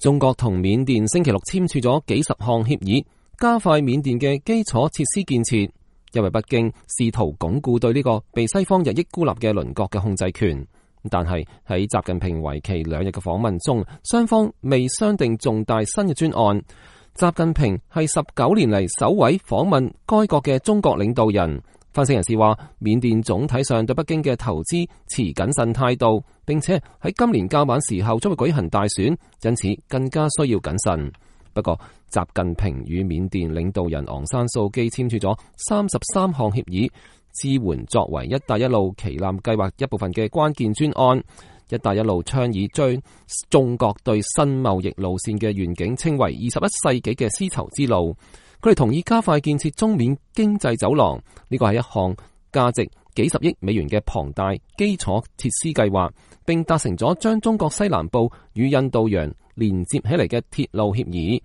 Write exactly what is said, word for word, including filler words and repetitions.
中國同緬甸星期六簽署咗幾十項協議，加快緬甸嘅基礎設施建設，因為北京試圖鞏固對呢個被西方日益孤立嘅鄰國嘅控制權。但係喺習近平為期兩日嘅訪問中，雙方未商定重大新嘅專案。習近平係十九年嚟首位訪問該國嘅中國領導人。分析人士話，緬甸總體上對北京嘅投資持謹慎態度，並且喺今年較晚時候將會舉行大選，因此更加需要謹慎。不過，習近平與緬甸領導人昂山素基簽署咗三十三項協議，支援作為一帶一路旗艦計劃一部分嘅關鍵專案。一帶一路倡議將中國對新貿易路線嘅願景稱為二十一世紀嘅絲綢之路。佢哋同意加快建設中緬經濟走廊，呢個係一項價值幾十億美元嘅龐大基礎設施計劃，並達成咗將中國西南部與印度洋連接起嚟嘅鐵路協議。